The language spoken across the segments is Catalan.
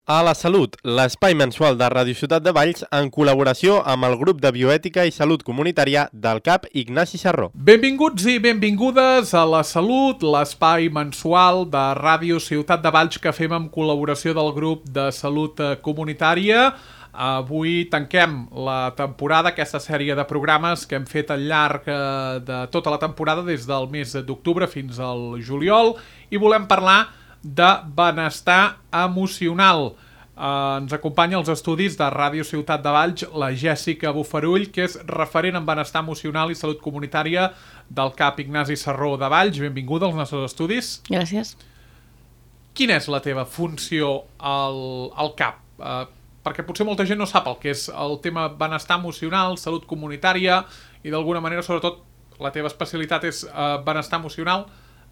A la Salut, l'espai mensual de Ràdio Ciutat de Valls en col·laboració amb el grup de bioètica i salut comunitària del CAP Ignasi Sarró. Benvinguts i benvingudes a La Salut, l'espai mensual de Ràdio Ciutat de Valls que fem amb col·laboració del grup de salut comunitària. Avui tanquem la temporada, aquesta sèrie de programes que hem fet al llarg de tota la temporada des del mes d'octubre fins al juliol i volem parlar de benestar emocional. Ens acompanya als estudis de Ràdio Ciutat de Valls la Jèssica Bufarull, que és referent en benestar emocional i salut comunitària del CAP Ignasi Sarró de Valls. Benvinguda als nostres estudis. Gràcies. Quina és la teva funció al CAP? Perquè potser molta gent no sap el que és el tema benestar emocional, salut comunitària i d'alguna manera, sobretot, la teva especialitat és benestar emocional.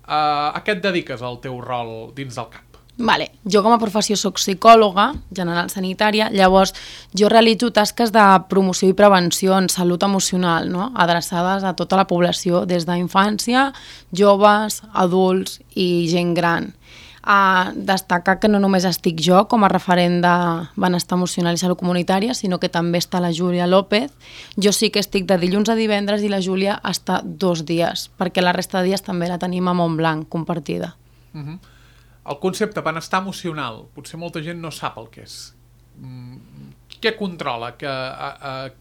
A què et dediques al teu rol dins del CAP? Vale. Jo com a professió soc psicòloga general sanitària, llavors jo realitzo tasques de promoció i prevenció en salut emocional, no? Adreçades a tota la població, des d'infància, joves, adults i gent gran. Destacar que no només estic jo com a referent de benestar emocional i salut comunitària, sinó que també està la Júlia López. Jo sí que estic de dilluns a divendres i la Júlia està 2 dies, perquè la resta de dies també la tenim a Montblanc compartida. El concepte benestar emocional, potser molta gent no sap el que és. Què controla?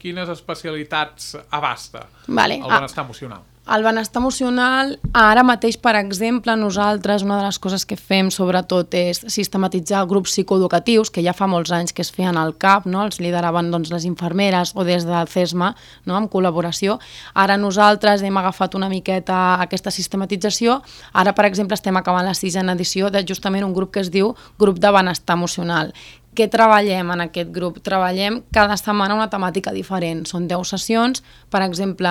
Quines especialitats abasta el benestar emocional? El benestar emocional, ara mateix, per exemple, nosaltres, una de les coses que fem sobretot és sistematitzar grups psicoeducatius, que ja fa molts anys que es feien al CAP, no? Els lideraven les infermeres o des del CESMA, no? En col·laboració. Ara nosaltres hem agafat una miqueta aquesta sistematització. Ara, per exemple, estem acabant la 6ª edició de justament un grup que es diu Grup de Benestar Emocional. Què treballem en aquest grup? Treballem cada setmana una temàtica diferent. Són 10 sessions. Per exemple,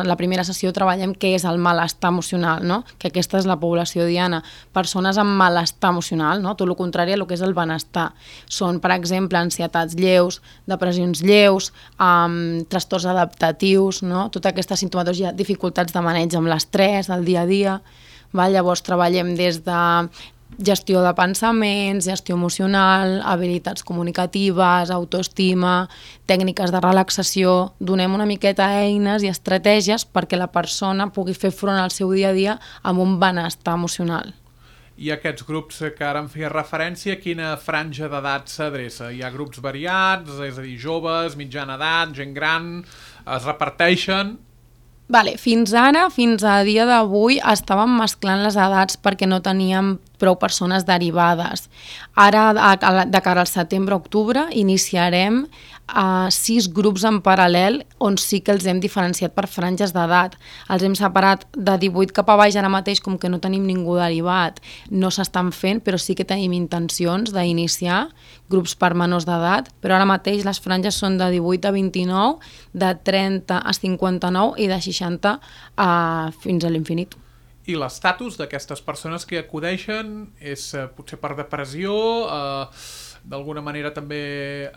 la primera sessió treballem què és el malestar emocional, no? Que aquesta és la població diana. Persones amb malestar emocional, no? Tot el contrari a el que és el benestar. Són, per exemple, ansietats lleus, depressions lleus, trastorns adaptatius, no? Tota aquesta sintomatologia, dificultats de maneig amb l'estrès, del dia a dia. Llavors treballem des de gestió de pensaments, gestió emocional, habilitats comunicatives, autoestima, tècniques de relaxació. Donem una miqueta eines i estratègies perquè la persona pugui fer front al seu dia a dia amb un benestar emocional. I aquests grups que ara em feia referència, quina franja d'edat s'adreça? Hi ha grups variats, és a dir, joves, mitjana edat, gent gran, es reparteixen? Fins ara, fins a dia d'avui, estàvem mesclant les edats perquè no teníem prou persones derivades. Ara, de cara al setembre-octubre, iniciarem 6 grups en paral·lel on sí que els hem diferenciat per franges d'edat. Els hem separat de 18 cap a baix ara mateix, com que no tenim ningú derivat. No s'estan fent, però sí que tenim intencions d'iniciar grups per menors d'edat, però ara mateix les franges són de 18 a 29, de 30 a 59 i de 60 fins a l'infinit. I l'estatus d'aquestes persones que acudeixen és potser per depressió, d'alguna manera també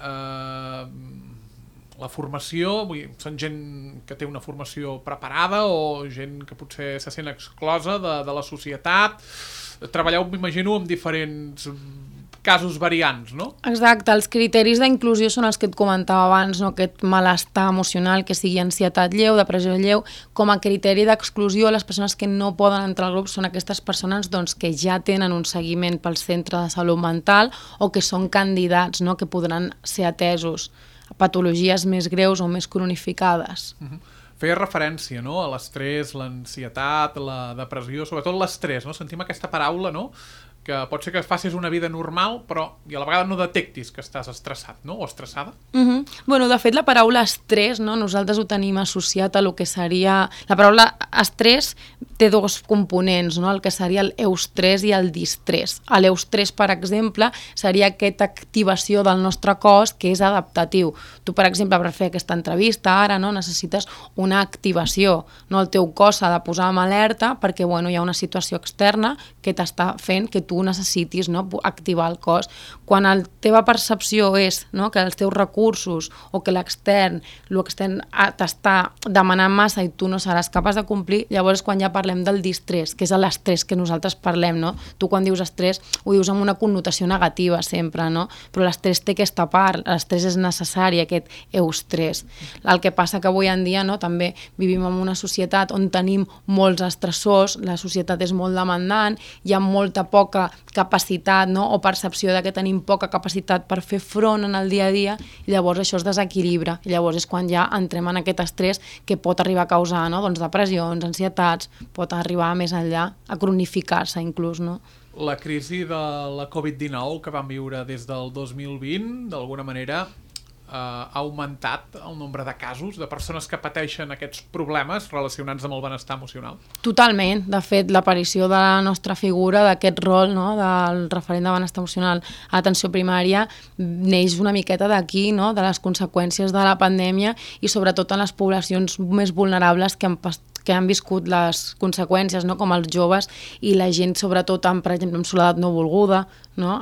la formació, són gent que té una formació preparada o gent que potser se sent exclosa de la societat. Treballeu, m'imagino, amb diferents casos variants, no? Exacte, els criteris d'inclusió són els que et comentava abans, no? Aquest malestar emocional, que sigui ansietat lleu, depressió lleu. Com a criteri d'exclusió, les persones que no poden entrar al grup són aquestes persones que ja tenen un seguiment pel centre de salut mental o que són candidats, no? Que podran ser atesos a patologies més greus o més cronificades. Feia referència, no?, a l'estrès, l'ansietat, la depressió, sobretot l'estrès, no? Sentim aquesta paraula, no?, que pot ser que facis una vida normal, però i a la vegada no detectis que estàs estressat, no?, o estressada. De fet, la paraula estrès, no?, nosaltres ho tenim associat a lo que seria... La paraula estrès té 2 components, no?, el que seria l'eustrès i el distrès. L'eustrès, per exemple, seria aquesta activació del nostre cos que és adaptatiu. Tu, per exemple, per fer aquesta entrevista ara, no?, necessites una activació, no? El teu cos s'ha de posar en alerta perquè, hi ha una situació externa que t'està fent que tu tu necessitis, no, activar el cos. Quan la teva percepció és, no, que els teus recursos o que l'extern t'està demanant massa i tu no seràs capaç de complir, llavors quan ja parlem del distrés, que és l'estrès que nosaltres parlem, no? Tu quan dius estrès ho dius amb una connotació negativa sempre, no? Però l'estrès té aquesta part, l'estrès és necessari, aquest eustrès. El que passa que avui en dia, no, també vivim en una societat on tenim molts estressors, la societat és molt demandant, hi ha molta poca capacitat, no, o percepció de que tenim poca capacitat per fer front en el dia a dia, i llavors això es desequilibra, i llavors és quan ja entrem en aquest estrès que pot arribar a causar, no, doncs depressions, ansietats, pot arribar més enllà, a cronificar-se inclús, no? La crisi de la Covid-19 que vam viure des del 2020, d'alguna manera, ha augmentat el nombre de casos de persones que pateixen aquests problemes relacionats amb el benestar emocional? Totalment. De fet, l'aparició de la nostra figura, d'aquest rol, no, del referent de benestar emocional a atenció primària, neix una miqueta d'aquí, no, de les conseqüències de la pandèmia i sobretot en les poblacions més vulnerables que han viscut les conseqüències, no, com els joves i la gent, sobretot, per exemple, amb soledat no volguda, no?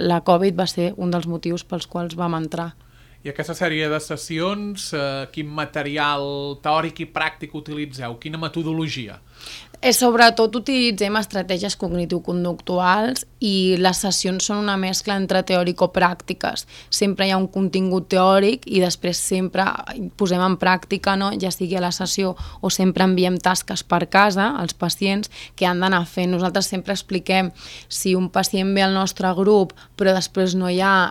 La Covid va ser un dels motius pels quals vam entrar. I aquesta sèrie de sessions, quin material teòric i pràctic utilitzeu? Quina metodologia? Sobretot utilitzem estratègies cognitivo-conductuals i les sessions són una mescla entre teòrico-pràctiques. Sempre hi ha un contingut teòric i després sempre posem en pràctica, no? Ja sigui a la sessió o sempre enviem tasques per casa als pacients que han d'anar fent. Nosaltres sempre expliquem si un pacient ve al nostre grup però després no hi ha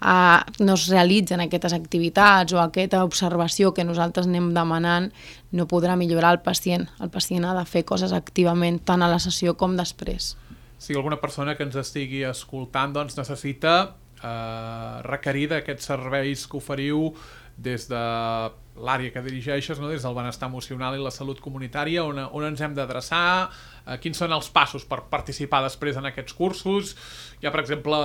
no es realitzen aquestes activitats o aquesta observació que nosaltres anem demanant, no podrà millorar el pacient. El pacient ha de fer coses activament, tant a la sessió com després. Si alguna persona que ens estigui escoltant doncs, necessita requerir d'aquests serveis que oferiu des de l'àrea que dirigeixes, no? Des del benestar emocional i la salut comunitària, on ens hem d'adreçar, quins són els passos per participar després en aquests cursos. Hi ha, per exemple,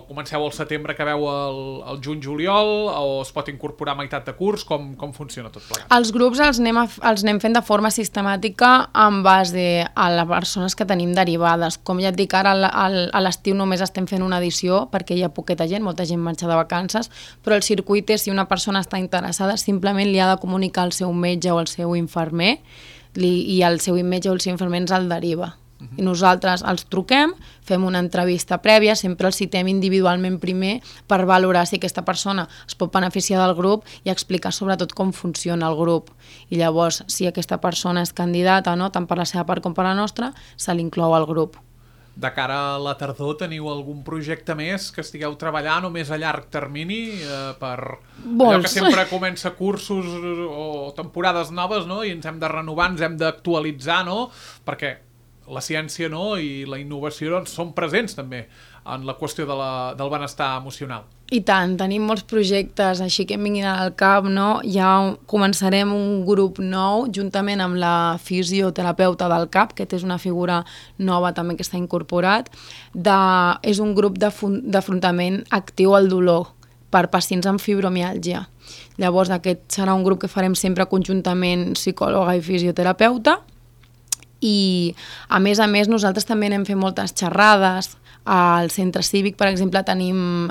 comenceu al setembre, acabeu el juny-juliol, o es pot incorporar a meitat de curs, com funciona tot plegat? Els grups els anem fent de forma sistemàtica en base a les persones que tenim derivades. Com ja et dic, ara a l'estiu només estem fent una edició perquè hi ha poqueta gent, molta gent marxa de vacances, però el circuit és, si una persona està interessada, simplement li ha de comunicar al seu metge o al seu infermer i el seu metge o el seu infermer ens el deriva. I nosaltres els truquem, fem una entrevista prèvia, sempre els citem individualment primer per valorar si aquesta persona es pot beneficiar del grup i explicar sobretot com funciona el grup. I llavors, si aquesta persona és candidata, no, tant per la seva part com per la nostra, se l'inclou al grup. De cara a la tardor, teniu algun projecte més que estigueu treballant o més a llarg termini per allò que sempre comença cursos o temporades noves, no? I ens hem de renovar, ens hem d'actualitzar, no? Perquè la ciència, no, i la innovació doncs, són presents també en la qüestió del benestar emocional. I tant, tenim molts projectes així que em vinguin al cap, no? Ja començarem un grup nou juntament amb la fisioterapeuta del CAP, que és una figura nova també que està incorporat. És un grup d'afrontament actiu al dolor per pacients amb fibromiàlgia. Llavors aquest serà un grup que farem sempre conjuntament psicòloga i fisioterapeuta. I a més nosaltres també anem fent moltes xerrades. Al centre cívic, per exemple, tenim,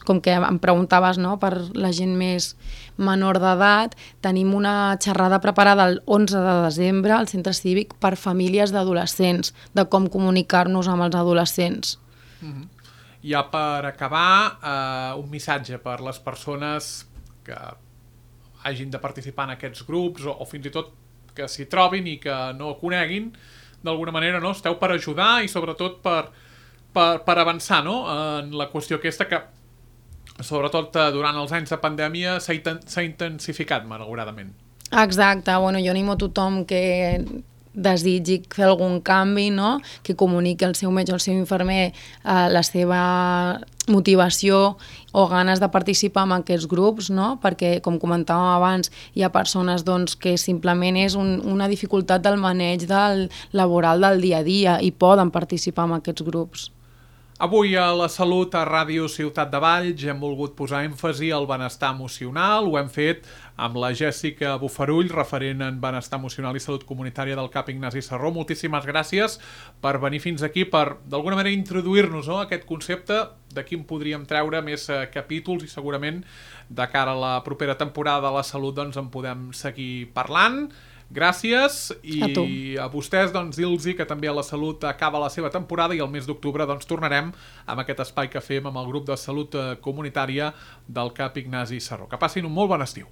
com que em preguntaves, no, per la gent més menor d'edat, tenim una xerrada preparada el 11 de desembre al centre cívic per famílies d'adolescents, de com comunicar-nos amb els adolescents. Ja per acabar, un missatge per les persones que hagin de participar en aquests grups o fins i tot que s'hi trobin i que no coneguin, d'alguna manera, no? Esteu per ajudar i sobretot per avançar, no? En la qüestió aquesta que sobretot durant els anys de pandèmia s'ha intensificat malauradament. Exacte, bueno, jo animo a tothom que desitgi fer algun canvi, no? Que comuniqui al seu metge o al seu infermer la seva motivació o ganes de participar en aquests grups, no? Perquè, com comentàvem abans, hi ha persones doncs, que simplement és una dificultat del maneig laboral del dia a dia i poden participar en aquests grups. Avui a la Salut a Ràdio Ciutat de Valls hem volgut posar èmfasi al benestar emocional. Ho hem fet amb la Jèssica Bufarull, referent en benestar emocional i salut comunitària del CAP Ignasi Serró. Moltíssimes gràcies per venir fins aquí, per d'alguna manera introduir-nos a aquest concepte. D'aquí en podríem treure més capítols i segurament de cara a la propera temporada de la Salut doncs en podem seguir parlant. Gràcies i a vostès dir-los que també a la Salut acaba la seva temporada i el mes d'octubre tornarem amb aquest espai que fem amb el grup de salut comunitària del CAP Ignasi Serró. Que passin un molt bon estiu.